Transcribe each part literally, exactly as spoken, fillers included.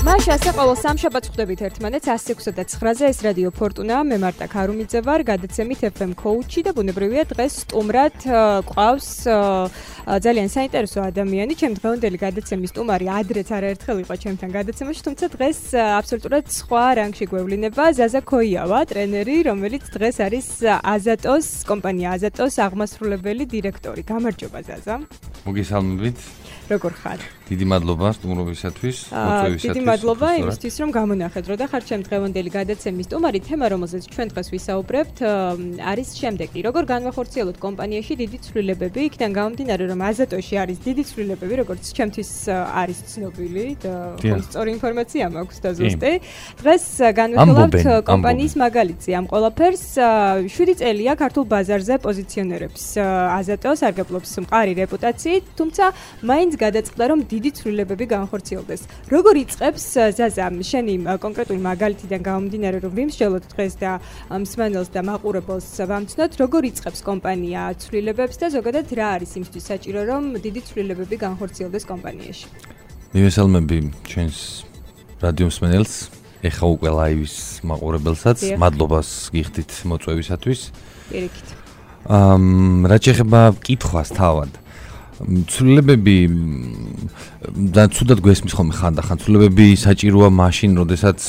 მაშა ასე ყოველ სამშაბათს ხვდებით ერთმანეთს ათს ექვსი და ცხრაზე ეს რადიო ფორტუნა მე მარტა ქარუმიძე ვარ გადაცემით ეფ ემ კოუჩი და ბუნებრივია დღეს სტუმრად ყავს ძალიან საინტერესო ადამიანი ჩემ დღევანდელი გადაცემის სტუმარი ადრეც არაერთხელ იყო ჩემთან გადაცემაში თუმცა დღეს აბსოლუტურად სხვა რანგში გვევლინება ზაზა ქოიავა ტრენერი რომელიც დღეს არის აზატოს კომპანია აზატოს აღმასრულებელი დირექტორი გამარჯობა ზაზა მოგესალმებით როგორ ხარ? დიდი მადლობა სტუმრობისათვის, მოწვევისათვის. დიდი მადლობა იმისთვის, რომ გამონახეთ, რომ და ხარ ჩემ დღევანდელი გადაცემის სტუმარი, თემა, რომელზეც ჩვენ დღეს ვისაუბრებთ, არის შემდეგი. როგორ განვახორციელოთ კომპანიაში დიდი ცვლილებები, იქიდან გამომდინარე, რომ აზატოში არის დიდი ცვლილებები, როგორც ჩემთვის არის ცნობილი და სწორი ინფორმაცია მაქვს და ზუსტი. დღეს განვიხილავთ კომპანიის მაგალითზე ამ ყველაფერს. შვიდი წელია ქართულ ბაზარზე პოზიციონერებს აზატოს, არგებლობს მყარი რეპუტაციით, თუმცა მაინც გადაწყდა, რომ დიდი ცვლილებები განხორციელდეს. როგორ იწყებს ზაზა შენი კონკრეტული მაგალითიდან გამომდინარე, რომ ვიმსჯელოთ დღეს და მსმენელს და მაყურებელს ვამცნოთ, როგორ იწყებს კომპანია ცვლილებებს და ზოგადად რა არის იმისთვის საჭირო, რომ დიდი ცვლილებები განხორციელდეს კომპანიაში? მივესალმები ჩვენს რადიო მსმენელს, ეხა უკვე ლაივის მაყურებელსაც, მადლობას გიხდით მოწვევისათვის. პირიქით. ამ რა შეეხება კითხვას თავად ცვლილებები და ცუდად გვესმის ხოლმე ხანდახან ცვლილებები საჭიროა მაშინ, როდესაც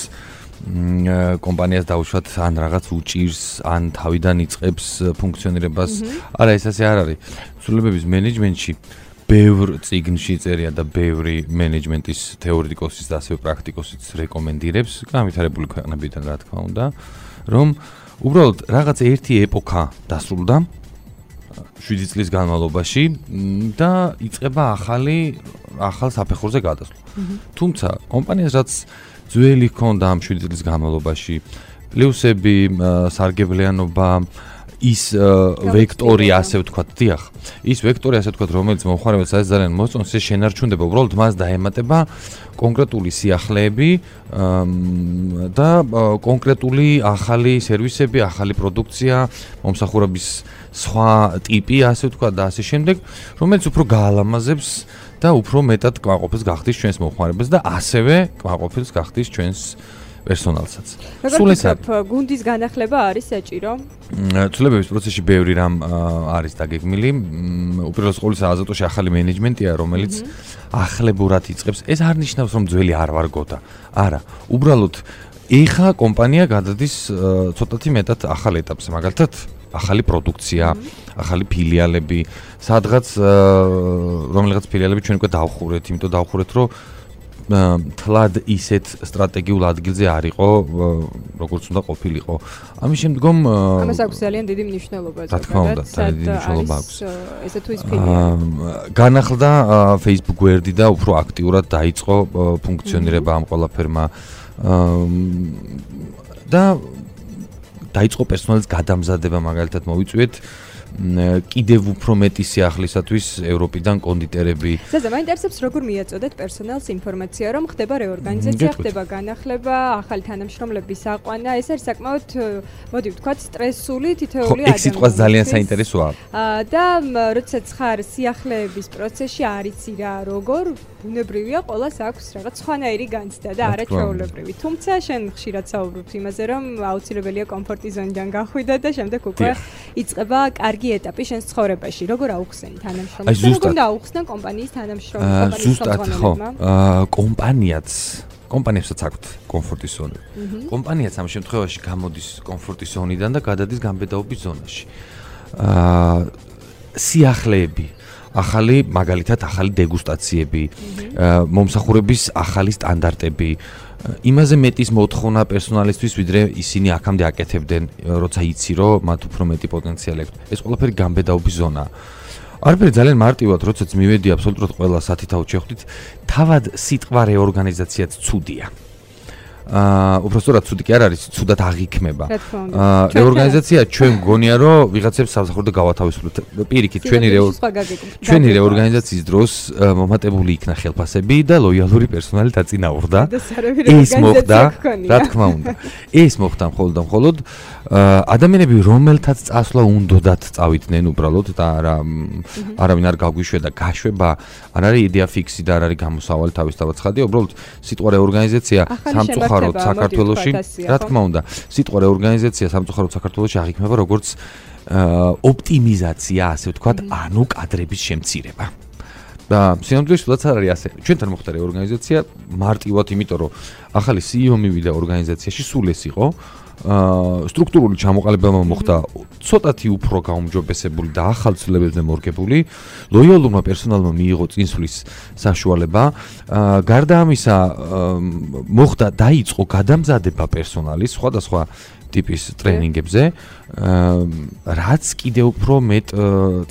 კომპანიას დაუშვათ ან რაღაც უჭირს, ან თავიდან იწყებს ფუნქციონირებას. არა, ეს ასე არ არის. ცვლილებების მენეჯმენტში ბევრ წიგნში წერია და ბევრი მენეჯმენტის თეორეტიკოსის და ასევე პრაქტიკოსიც რეკომენდირებს, განვითარებული ქვეყნებიდან რა თქმა უნდა, რომ უბრალოდ რაღაც ერთი ეპოქა დასრულდა შვიდი წლის განმავლობაში და იწყება ახალი ახალ საფეხურზე გადასვლა. თუმცა კომპანიას რაც ძველი ჰქონდა ამ შვიდი წლის განმავლობაში, პლუსები, სარგებლიანობა, ის ვექტორი ასე ვთქვათ, დიახ, ის ვექტორი ასე ვთქვათ, რომელიც მომხმარებელს არის ძალიან მოსწონს, ეს შენარჩუნდება, უბრალოდ მას დაემატება კონკრეტული სიახლეები და კონკრეტული ახალი სერვისები, ახალი პროდუქცია, მომსახურების სხვა ტიპი, ასე ვთქვათ და ასე შემდეგ, რომელიც უფრო გაალამაზებს და უფრო მეტად კმაყოფილს გახდის ჩვენს მომხმარებელს და ასევე კმაყოფილს გახდის ჩვენს პერსონალსაც. სულ ეს გუნდის განახლება არის საჭირო? ცვლილებების პროცესში ბევრი რამ არის დაგეგმილი. უპირველეს ყოვლისა აზატოში ახალი მენეჯმენტია, რომელიც ახლებურად იწყებს. ეს არ ნიშნავს, რომ ძველი არ ვარ გოდა. არა, უბრალოდ ეხა კომპანია გადადის ცოტათი მეტად ახალ ეტაპზე, მაგალითად ახალი პროდუქცია, ახალი ფილიალები, სადღაც რომელიღაც ფილიალები ჩვენ უკვე დავხურეთ, იმიტომ დავხურეთ, რომ თლად ისეთ სტრატეგიულ ადგილზე არ იყო, როგორც უნდა ყოფილიყო. ამის შემდგომ ამას აქვს ძალიან დიდი მნიშვნელობა. რა თქმა უნდა, ძალიან დიდი მნიშვნელობა აქვს. ესე თუ ის ფილიალი. განახლდა Facebook გვერდი და უფრო აქტიურად დაიწყო ფუნქციონირება ამ ყველაფერმა და დაიწყო პერსონალის გადამზადება, მაგალითად მოვიწვიეთ კიდევ უფრო მეტი სიახლისათვის ევროპიდან კონდიტერები. ზაზა, მაინტერესებს როგორ მიაწოდეთ პერსონალს ინფორმაცია, რომ ხდება რეორგანიზაცია, ხდება განახლება, ახალი თანამშრომლების აყვანა, ეს არის საკმაოდ, მოდი ვთქვათ, სტრესული თითოეული ადამიანი. ეს სიტყვა ძალიან საინტერესოა. და როდესაც ხარ სიახლეების პროცესში არ იცი რა, როგორ ბუნებრივია, ყველას აქვს რაღაც სხვანაირი განცდა და არა ჩვეულებრივი. თუმცა შენ ხშირად საუბრობ იმაზე, რომ აუცილებელია კომფორტი ზონიდან გახვიდე და შემდეგ უკვე იწყება კარგი ეტაპი შენს ცხოვრებაში. როგორ აუხსენ თანამშრომლებს? როგორ დააუხსნან კომპანიის თანამშრომლებს? ზუსტად ხო. კომპანიაც, კომპანიებსაც აქვთ კომფორტის ზონი. კომპანიაც ამ შემთხვევაში გამოდის კომფორტის ზონიდან და გადადის განბედაობის ზონაში. სიახლეები ახალი, მაგალითად, ახალი დეგუსტაციები, მომსახურების ახალი სტანდარტები, იმაზე მეტის მოთხოვნა პერსონალისთვის, ვიდრე ისინი აქამდე აკეთებდნენ, როცა იცი, რომ მათ უფრო მეტი პოტენციალი აქვს. ეს ყველაფერი განბედაობის ზონაა. არაფერი ძალიან მარტივად, როდესაც მივედი აბსოლუტურად ყველა სათითაოდ შევხვდით, თავად სიტყვა რეორგანიზაციაც ცუდია. აა უბრალოდ ცუდი კი არ არის, ცუდად აღიქმება. აა რეორგანიზაცია ჩვენ გონია რომ ვიღაცებს სამსახურზე გავათავისუფლოთ. პირიქით ჩვენი ჩვენი რეორგანიზაციის დროს მომატებული იქნა ხელფასები და ლოიალური პერსონალი დაწინაურდა. ეს მოხდა, რა თქმა უნდა. ეს მოხდა მხოლოდ და მხოლოდ ადამიანები რომელთაც წასვლა უნდათ წავიდნენ უბრალოდ და არა არავინ არ გაგვიშვედა გაშვება არ არის იდეა ფიქსი და არ არის გამოსავალი თავისთავად ცხადია უბრალოდ სიტყვა რეორგანიზაცია სამწუხაროდ საქართველოში რა თქმა უნდა სიტყვა რეორგანიზაცია სამწუხაროდ საქართველოში აღიქმება როგორც ოპტიმიზაცია ასე ვთქვათ ანუ კადრების შემცირება და სინამდვილეში თუნდაც არ არის ასე ჩვენთან მოხდა რეორგანიზაცია მარტივად იმიტომ რომ ახალი სი ი ო მივიდა ორგანიზაციაში სულ ეს იყო აა სტრუქტურული ჩამოყალიბება მოხდა ცოტათი უფრო გაუმჯობესებული და ახალ ცვლილებებზე მორგებული ლოიალურმა პერსონალმა მიიღო წინსვლის საშუალება აა გარდა ამისა მოხდა დაიწყო გადამზადება პერსონალის სხვადასხვა ტიპის ტრენინგებზე რაც კიდევ უფრო მეტ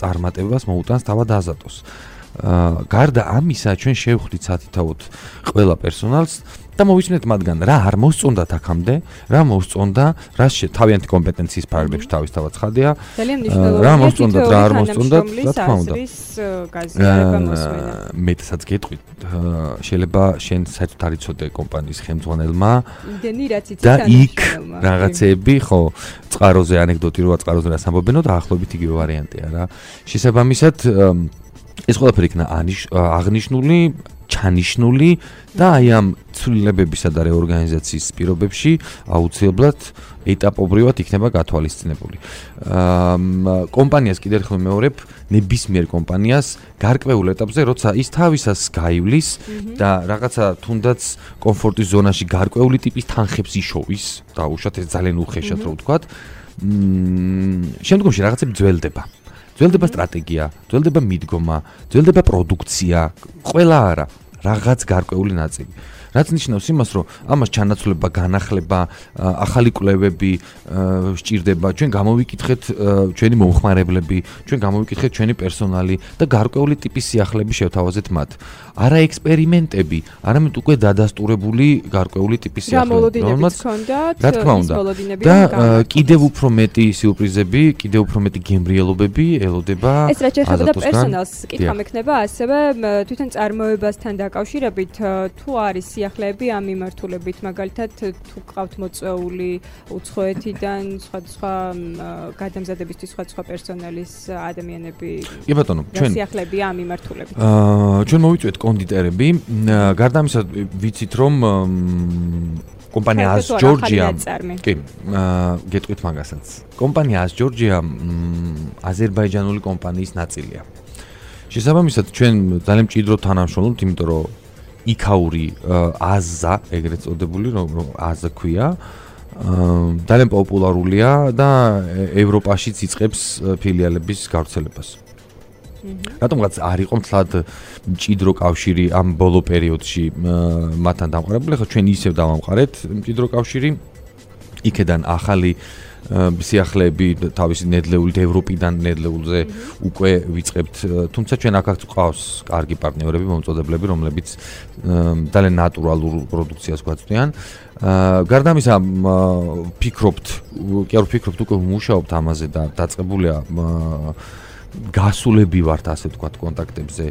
წარმატებას მოუტანს თავად აზატოს აა გარდა ამისა ჩვენ შევხვდით სათითაოდ ყველა პერსონალს და მოვიცნეთ მათგან რა არ მოსწონდათ აქამდე, რა მოსწონდა, რა თავიანთი კომპეტენციის ფარგლებში თავისთავად ცხადია. რა მოსწონდათ, რა არ მოსწონდათ, რა თქმა უნდა. მეტსაც გეტყვით, შეიძლება შენ საერთოდ არ იცოდე კომპანიის ხელმძღვანელმა და იქ რაღაცები, ხო, წყაროზე ანეკდოტი როა წყაროზე რას ამბობენო და ახლობით იგივე ვარიანტია რა. შესაბამისად ეს ყველაფერი იქნა აღნიშნული ჩანიშნული და აი ამ ცვლილებებისა და რეორგანიზაციის პირობებში აუცილებლად ეტაპობრივად იქნება გათვალისწინებული. აა კომპანიას კიდევ ერთხელ მეორებ ნებისმიერ კომპანიას გარკვეულ ეტაპზე როცა ის თავისას გაივლის და რაღაცა თუნდაც კომფორტის ზონაში გარკვეული ტიპის თანხებს იშოვის და უშოთ ეს ძალიან უხეშად რო ვთქვათ. მ შემდგომში რაღაცები ძველდება. ძველდება სტრატეგია, ძველდება მიდგომა, ძველდება პროდუქცია, ყველა არა, რაღაც გარკვეული ნაწილი. რაც ნიშნავს იმას, რომ ამას ჩანაცვლება, განახლება, ახალი კვლევები სჭირდება, ჩვენ გამოვიკითხეთ ჩვენი მომხმარებლები, ჩვენ გამოვიკითხეთ ჩვენი პერსონალი და გარკვეული ტიპის სიახლეები შევთავაზეთ მათ. არა ექსპერიმენტები, არამედ უკვე დადასტურებული გარკვეული ტიპის სიახლეები, რომელმაც რა თქმა უნდა და კიდევ უფრო მეტი სიურპრიზები, კიდევ უფრო მეტი გემრიელობები ელოდება ეს რაც ეხება პერსონალს, კითხვა მექნება ასევე თვითონ წარმოებასთან დაკავშირებით თუ არის სიახლეები ამ მიმართულებით, მაგალითად თუ გყავთ მოწვეული უცხოეთიდან სხვადასხვა გადამზადებისთვის სხვადასხვა პერსონალის ადამიანები. კი ბატონო, ჩვენ სიახლეებია ამ მიმართულებით. აა ჩვენ მოვიწვიეთ კონდიტერები, გარდა ამისა ვიცით რომ კომპანია ას ჯორჯია კი გეტყვით მაგასაც. კომპანია ას ჯორჯია აზერბაიჯანული კომპანიის ნაწილია. შესაბამისად ჩვენ ძალიან მჭიდროდ თანამშრომლობთ, იმიტომ რომ იქაური აზა ეგრეთ წოდებული რომ აზა ქვია ძალიან პოპულარულია და ევროპაშიც იწყებს ფილიალების გავრცელებას. რატომღაც არ იყო მთლად მჭიდრო კავშირი ამ ბოლო პერიოდში მათთან დამყარებული, ხო ჩვენ ისევ დავამყარეთ მჭიდრო კავშირი. იქედან ახალი სიახლეები თავისი ნედლეულით ევროპიდან ნედლეულზე უკვე ვიწყებთ, თუმცა ჩვენ აქაც ყავს კარგი პარტნიორები, მომწოდებლები, რომლებიც ძალიან ნატურალურ პროდუქციას გვაწვდიან. გარდა ამისა, ფიქრობთ, კი არ ვფიქრობთ, უკვე ვმუშაობთ ამაზე და დაწყებულია გასულები ვართ ასე ვთქვათ კონტაქტებზე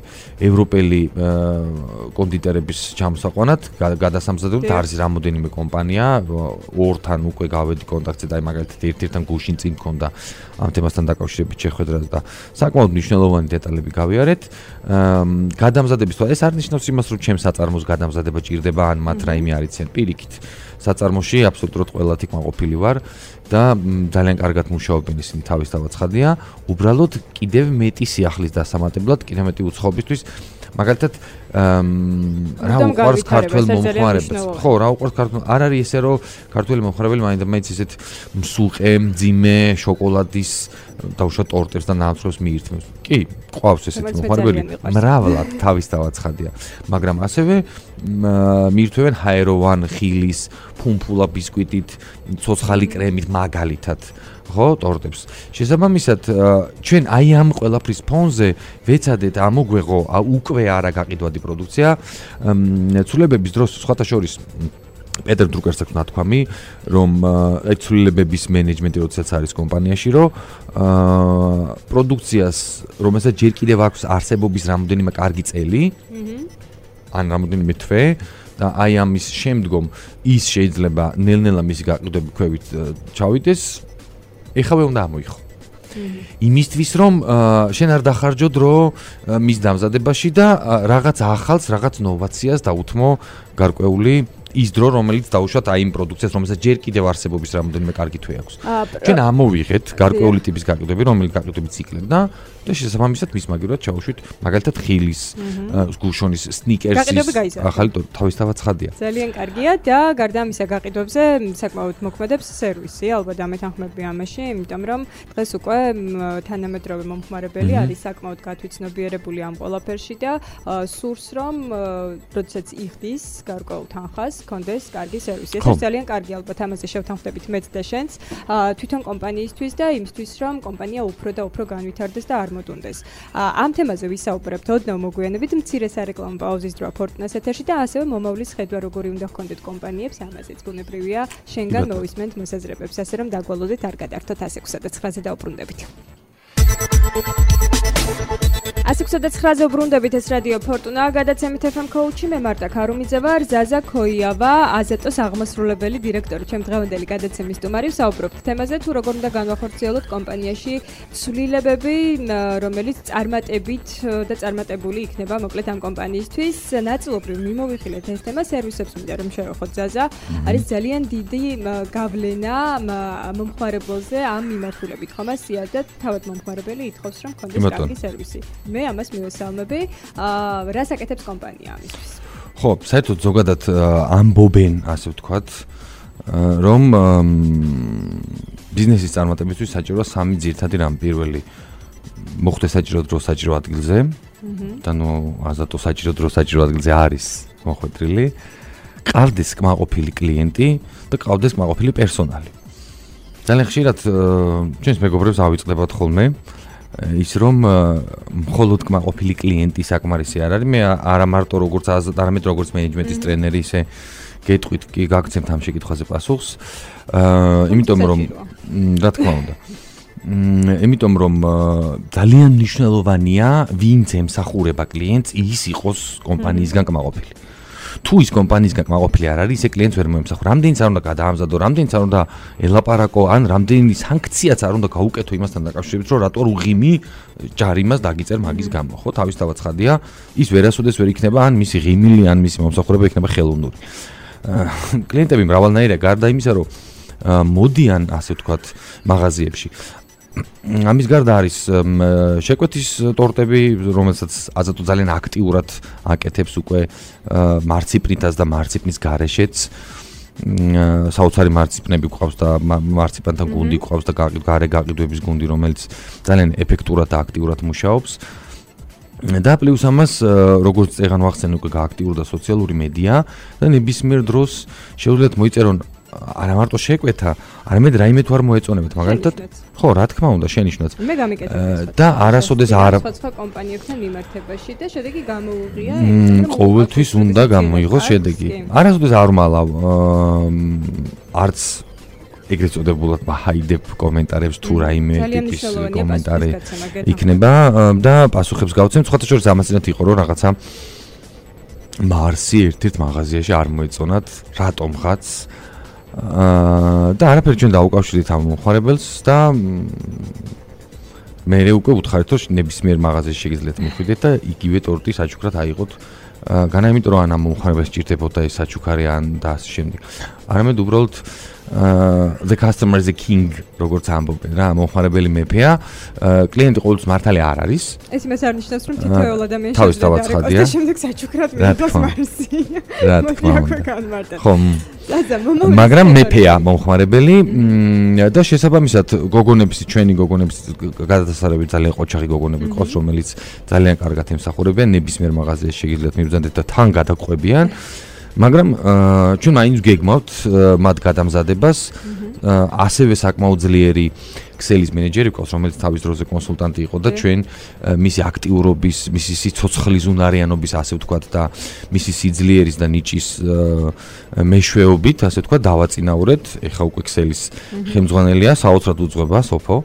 ევროპელი კონდიტერების ჩამოსაყვანად გადასამზადებლად არის რამოდენიმე კომპანია ორთან უკვე გავედი კონტაქტზე და მაგალითად ერთ-ერთთან გუშინ წინ მქონდა ამ თემასთან დაკავშირებით შეხვედრა და საკმაოდ მნიშვნელოვანი დეტალები გავიარეთ გადამზადების თვალსაზრისით ეს არ ნიშნავს იმას რომ ჩემს საწარმოს გადამზადება ჭირდება ან მათ რაიმე არიციან პირიქით საწარმოში აბსოლუტურად ყველათი კმაყოფილი ვარ და ძალიან კარგად მუშაობენ ისინი თავისთავად ცხადია უბრალოდ კიდევ მეტი სიახლის დასამატებლად კიდევ მეტი უცხოობისთვის მაგალითად რა უყურს ქართველ მომხმარებელს ხო რა უყურს ქართველ არ არის ესე რომ ქართველი მომხმარებელი მაინდა მაინც ისეთ მსუყე მძიმე შოკოლადის დაუშვა ტორტებს და ნამცროს მიირთმევს კი ყავს ესეთი მომხმარებელი მრავლად თავისთავად ცხადია მაგრამ ასევე მიირთმევენ ჰაეროვან ხილის ფუმფულა ბისკვიტით ცოცხალი კრემით მაგალითად ხო ტორტებს შესაბამისად ჩვენ აი ამ ყველაფრის ფონზე ვეცადეთ ამოგვეღო უკვე არა გაყიდვადი პროდუქცია ცვლილებების დროს სხვათა შორის პეტერ დრუკერს აქვს ნათქვამი, რომ აი ცვლილებების მენეჯმენტი როდესაც არის კომპანიაში, რომ პროდუქციას, რომელსაც ჯერ კიდევ აქვს არსებობის რამოდენიმე კარგი წელი, ან რამოდენიმე თვე და აი ამის შემდგომ ის შეიძლება ნელ-ნელა მისი გაყიდვები ქვევით ჩავიდეს, ეხავე უნდა ამოიღო. იმისთვის რომ შენ არ დახარჯო დრო მის დამზადებაში და რაღაც ახალს, რაღაც ნოვაციას დაუთმო გარკვეული ის დრო, რომელიც დაუშვათ აი იმ პროდუქციას, რომელსაც ჯერ კიდევ არსებობის რამოდენიმე კარგი თვე აქვს. ჩვენ ამოვიღეთ გარკვეული ტიპის გაყიდვები, რომელიც გაყიდვები ციკლებდა და შესაბამისად მის მაგივრად ჩაუშვით მაგალითად ხილის, გუშონის, სნიკერსის ახალი თავისთავად ცხადია. ძალიან კარგია და გარდა ამისა გაყიდვებზე საკმაოდ მოქმედებს სერვისი, ალბათ ამეთანხმები ამაში, იმიტომ რომ დღეს უკვე თანამედროვე მომხმარებელი არის საკმაოდ გათვითცნობიერებული ამ ყველაფერში და სურს რომ როდესაც იხდის გარკვეულ თანხას კონდეს კარგი სერვისი. ეს ძალიან კარგი, ალბათ ამაზე შევთანხმდებით მეც და შენც თვითონ კომპანიისთვის და იმისთვის რომ კომპანია უფრო და უფრო განვითარდეს და არ მოდუნდეს. ამ თემაზე ვისაუბრებთ ოდნავ მოგვიანებით, მცირე სარეკლამო პაუზის დროა Fortuna-ს ეთერში და ასევე მომავლის ხედვა როგორი უნდა ჰქონდეთ კომპანიებს, ამაზეც ბუნებრივია შენგან მოვისმენთ მოსაზრებებს, ასე რომ დაგვალოდეთ არ გადართოთ ასი ექვსი და ცხრაზე დაუბრუნდებით. ასი ექვსი და ცხრაზე უბრუნდებით, ეს რადიო Fortuna, გადაცემით ეფ ემ Coach-ი, მე მარტა ქარუმიძე ვარ, ზაზა ქოიავა, აზეტოს აღმასრულებელი დირექტორი, ჩემ დღევანდელი გადაცემის სტუმარი. ვსაუბრობთ თემაზე, თუ როგორ უნდა განვახორციელოთ კომპანიაში ცვლილებები, რომელიც წარმატებით და წარმატებული იქნება მოკლედ ამ კომპანიისთვის. ნაწილობრივ მიმოვიხილეთ ეს თემა სერვისებს მინდა რომ შევეხოთ ზაზა. არის ძალიან დიდი გავლენა მომხმარებელზე ამ მიმართულებით, ხომ ასია და თავად მომხმარებელი ითხოვს რომ კონდეს კარგი სერვისი. მე ამას მივესალმები. აა რას აკეთებს კომპანია ამისთვის? ხო, საერთოდ ზოგადად ამბობენ, ასე ვთქვათ, რომ ბიზნესის წარმატებისთვის საჭიროა სამი ძირითადი რამ. პირველი მოხდეს საჭირო დრო საჭირო ადგილზე. და ნუ აზატო საჭირო დრო საჭირო ადგილზე არის მოხვედრილი. ყავდეს კმაყოფილი კლიენტი და ყავდეს კმაყოფილი პერსონალი. ძალიან ხშირად ჩვენს მეგობრებს ავიწყდებათ ხოლმე ის რომ მხოლოდ კმაყოფილი კლიენტი საკმარისი არ არის. მე არა მარტო როგორც არამედ როგორც მენეჯმენტის ტრენერი ისე გეტყვით კი გაგცემთ ამ შეკითხვაზე პასუხს. აა იმიტომ რომ რა თქმა უნდა. იმიტომ რომ ძალიან მნიშვნელოვანია ვინც ემსახურება კლიენტს ის იყოს კომპანიისგან კმაყოფილი. თუ ის კომპანიისგან კმაყოფილი არ არის, ისე კლიენტს ვერ მოემსახურა. რამდენიც არ უნდა გადაამზადო, რამდენიც არ უნდა ელაპარაკო, ან რამდენი სანქციაც არ უნდა გაუკეთო იმასთან დაკავშირებით, რომ რატო უღიმი ჯარიმას დაგიწერ მაგის გამო. ხო, თავისთავად ცხადია, ის ვერასოდეს ვერ იქნება, ან მისი ღიმილი, ან მისი მომსახურება იქნება ხელოვნური. კლიენტები მრავალნაირია, გარდა იმისა, რომ მოდიან, ასე ვთქვათ, მაღაზიებში. ამის გარდა არის შეკვეთის ტორტები, რომელსაც აზატო ძალიან აქტიურად აკეთებს უკვე მარციპნითაც და მარციპნის გარეშეც. საოცარი მარციპნები გვყავს და მარციპანთან გუნდი გვყავს და გარე გაყიდვების გუნდი, რომელიც ძალიან ეფექტურად და აქტიურად მუშაობს. და პლუს ამას, როგორც წეგან ვახსენე, უკვე გააქტიურდა სოციალური მედია და ნებისმიერ დროს შეუძლიათ მოიწერონ არა მარტო შეკვეთა, არამედ რაიმე თუ არ მოეწონებათ, მაგალითად, ხო, რა თქმა უნდა, შენიშნოთ. მე გამიკეთებ და არასოდეს არ სხვა კომპანიებთან მიმართებაში და შედეგი გამოუღია, ყოველთვის უნდა გამოიღოს შედეგი. არასოდეს არ მალავ არც ეგრეთ წოდებულად მაჰაიდებ კომენტარებს თუ რაიმე ტიპის კომენტარი იქნება და პასუხებს გავცემ. სხვათა შორის ამასინათ იყო რომ რაღაცა მარსი ერთ-ერთ მაღაზიაში არ მოეწონათ, რატომღაც და არაფერი ჩვენ დაუკავშირეთ ამ მომხმარებელს და მე უკვე უთხარით რომ ნებისმიერ მაღაზიაში შეგიძლიათ მიხვიდეთ და იგივე ტორტი საჩუქრად აიღოთ განა იმიტომ რომ ან ამ მომხმარებელს ჭირდებოდა ეს საჩუქარი ან და ასე შემდეგ. არამედ უბრალოდ the customer is a king, როგორც ამბობენ რა, მომხმარებელი მეფეა, კლიენტი ყოველთვის მართალი არ არის. ეს იმას არ ნიშნავს, რომ თითოეულ ადამიანს თავისთავად ცხადია. და შემდეგ საჩუქრად მიიღოს მარსი. რა თქმა უნდა. ხო, ზაზა, მაგრამ მეფეა მომხმარებელი და შესაბამისად გოგონების, ჩვენი გოგონების გადასასწრებით ძალიან ყოჩაღი გოგონები ყავს, რომელიც ძალიან კარგად ემსახურებიან ნებისმიერ მაღაზიაში შეგიძლიათ მიბრძანდეთ და თან გადაყვებიან. მაგრამ ჩვენ მაინც გეგმავთ მათ გადამზადებას ასევე საკმაოდ ძლიერი ქსელის მენეჯერი ყავს, რომელიც თავის დროზე კონსულტანტი იყო და ჩვენ მისი აქტიურობის, მისი სიცოცხლის უნარიანობის, ასე ვთქვათ და მისი სიძლიერის და ნიჭის მეშვეობით, ასე ვთქვათ, დავაწინაურეთ. ეხა უკვე ქსელის ხელმძღვანელია, საოცრად უძღვება სოფო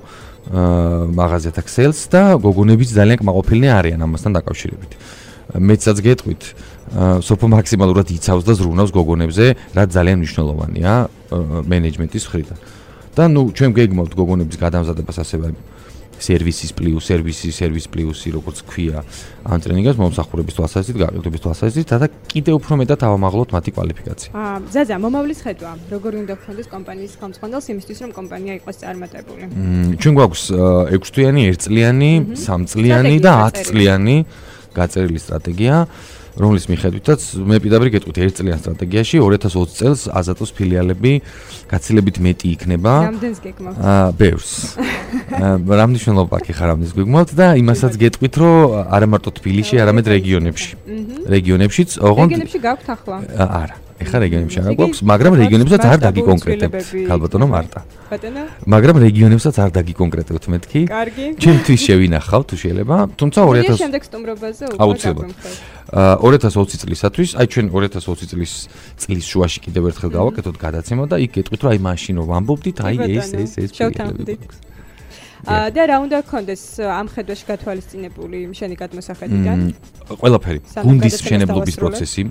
მაღაზიათა ქსელს და გოგონებიც ძალიან კმაყოფილნი არიან ამასთან დაკავშირებით. მეცაც გეტყვით, სოფო მაქსიმალურად იცავს და ზრუნავს გოგონებზე, რაც ძალიან მნიშვნელოვანია მენეჯმენტის მხრიდან. და ნუ ჩვენ გეგმავთ გოგონების გადამზადებას ასევე სერვისის პლუს, სერვისი, სერვის პლუსი, როგორც ქვია ამ ტრენინგს მომსახურების თვალსაზრისით, გაყიდვების თვალსაზრისით და კიდე უფრო მეტად ავამაღლოთ მათი კვალიფიკაცია. აა, ზაზა, მომავლის ხედვა, როგორი უნდა გქონდეს კომპანიის ხელმძღვანელს იმისთვის, რომ კომპანია იყოს წარმატებული? ჩვენ გვაქვს ექვსი თვიანი, ერთ წლიანი, სამ წლიანი და ათ წლიანი გაწერილი სტრატეგია, რომლის მიხედვითაც მე პირდაპირ გეტყვით ერთ წლიან სტრატეგიაში ორი ათას ოცი წელს აზატოს ფილიალები გაცილებით მეტი იქნება. რამდენს გეგმავთ? აა, ბევრს. რა მნიშვნელობა აქვს ხარ რამდენს გეგმავთ და იმასაც გეტყვით, რომ არა მარტო თბილისში, არამედ რეგიონებში. რეგიონებშიც, ოღონდ რეგიონებში გაქვთ ახლა? არა. ეხლა რეგიონებში არ გვაქვს, მაგრამ რეგიონებსაც არ დაგიკონკრეტებთ. ქალბატონო მარტა. ბატონო? მაგრამ რეგიონებსაც არ დაგიკონკრეტებთ მეთქი. კარგი. ჩემთვის შევინახავ თუ შეიძლება, თუმცა ორი ათას შემდეგ სტუმრობაზე უკვე აუცილებლად. ორი ათას ოცი წლისათვის, აი ჩვენ ორი ათას ოცი წლის წლის შუაში კიდევ ერთხელ გავაკეთოთ გადაცემა და იქ გეტყვით, რომ აი მაშინ რომ ვამბობდით, აი ეს ეს ეს ფილიალები. და რა უნდა გქონდეს ამ ხედვაში გათვალისწინებული შენი გადმოსახედიდან? ყველაფერი. გუნდის მშენებლობის პროცესი,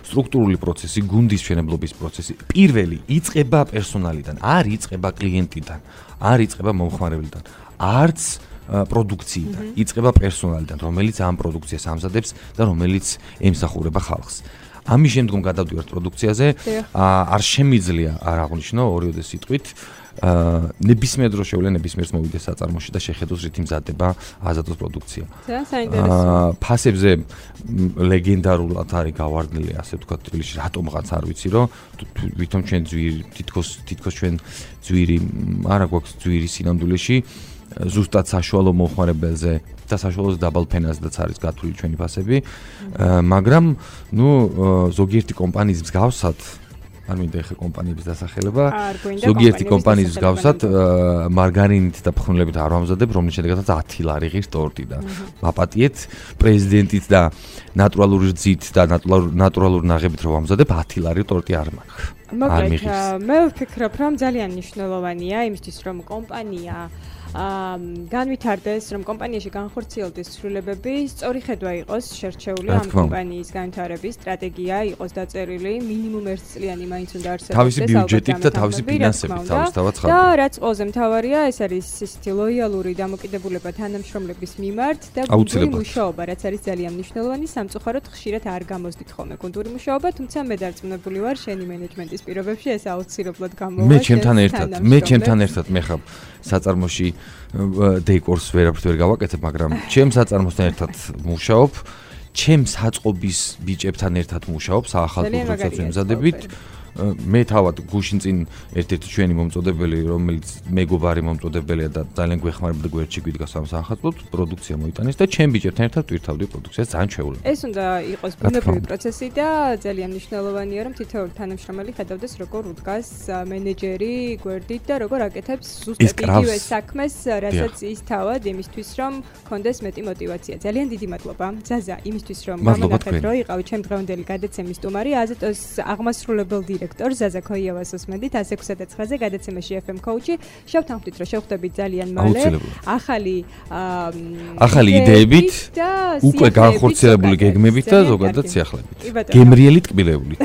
სტრუქტურული პროცესი, გუნდის მშენებლობის პროცესი. პირველი იწყება პერსონალიდან, არ იწყება კლიენტიდან, არ იწყება მომხმარებლიდან, არც პროდუქციიდან, იწყება პერსონალიდან, რომელიც ამ პროდუქციას ამზადებს და რომელიც ემსახურება ხალხს. ამის შემდგომ გადავდივართ პროდუქციაზე, არ შემიძლია არ აღვნიშნო ორიოდე სიტყვით აა ნებისმიერ დროს შევლენ ნებისმიერს მოვიდეს საწარმოში და შეხედოს რითი მზადდება აზატოს პროდუქცია. ძალიან საინტერესოა. ფასებზე ლეგენდარულად არის გავარდნილი, ასე ვთქვათ, თბილისში რატომღაც არ ვიცი, რომ ვითომ ჩვენ ძვირი თითქოს თითქოს ჩვენ ძვირი არა გვაქვს ძვირი სინამდვილეში ზუსტად საშუალო მომხმარებელზე და საშუალო დაბალ ფენაზედაც არის გათვლილი ჩვენი ფასები, მაგრამ ნუ ზოგიერთი კომპანიის მსგავსად არ მინდა ახლა კომპანიების დასახელება, ზოგიერთი კომპანიის მსგავსად მარგარინით და ფხვნილებით არ ვამზადებ, რომლის შედეგადაც ათი ლარი ღირს ტორტი და მაპატიეთ პრეზიდენტით და ნატურალური რძით და ნატურალური ნაღებით რომ ვამზადებ, ათი ლარი ტორტი არ მაქვს. მაგრამ მე ვფიქრობ, რომ ძალიან მნიშვნელოვანია იმისთვის, რომ კომპანია აა განვითარდეს, რომ კომპანიაში განხორციელდეს ცვლილებები, სწორი ხედვა იყოს შერჩეული ამ კომპანიის განვითარების სტრატეგია, იყოს დაწერილი, მინიმუმ ერთ წლიანი მაინც უნდა არსებობდეს თავისი ბიუჯეტით და თავისი ფინანსებით, თავისთავად ხარ. და რაც ყველაზე მთავარია, ეს არის ისეთი ლოიალური დამოკიდებულება თანამშრომლების მიმართ და გუნდური მუშაობა, რაც არის ძალიან მნიშვნელოვანი, სამწუხაროდ ხშირად არ გამოსდით ხოლმე გუნდური მუშაობა, თუმცა მე დარწმუნებული ვარ, შენი მენეჯმენტის პირობებში ეს აუცილებლად გამოვა. მე ჩემთან ერთად, მე ჩემთან ერთად მე ხარ საწარმოში დეკორს ვერაფერს ვერ გავაკეთებ, მაგრამ ჩემს საწარმოსთან ერთად მუშაობ, ჩემს საწყობის ბიჭებთან ერთად მუშაობ, საახალწლო პროცესებს ვემზადებით. მე თავად გუშინ წინ ერთ-ერთი ჩვენი მომწოდებელი, რომელიც მეგობარი მომწოდებელია და ძალიან გვეხმარება და გვერდში გვიდგას ამ საახალწლოდ, პროდუქცია მოიტანეს და ჩემ ბიჭებთან ერთად ვირთავდი პროდუქციას, ძალიან ჩვეულებრივ. ეს უნდა იყოს ბუნებრივი პროცესი და ძალიან მნიშვნელოვანია, რომ თითოეული თანამშრომელი ხედავდეს, როგორ უდგას მენეჯერი გვერდით და როგორ აკეთებს ზუსტად იგივე საქმეს, რასაც ის თავად იმისთვის, რომ კონდეს მეტი мотиваცია. ძალიან დიდი მადლობა, ზაზა, იმისთვის, რომ გამონახეთ, რომ იყავი ჩემ დღევანდელი გადაცემის სტუმარი, აზატოს აღმასრულებელ დირექტორ ზაზა ქოიავას უსმენდით ას ექვსი და ცხრაზე გადაცემაში ეფ ემ კოუჩი. შევთანხმდით, რომ შევხვდებით ძალიან მალე. ახალი ახალი იდეებით, უკვე განხორციელებული გეგმებით და ზოგადად სიახლეებით. გემრიელი ტკბილეულით.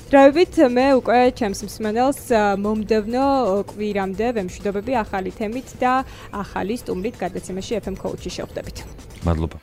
დროებით მე უკვე ჩემს მსმენელს მომდევნო კვირამდე ვემშვიდობები ახალი თემით და ახალი სტუმრით გადაცემაში ეფ ემ კოუჩი შევხვდებით. მადლობა.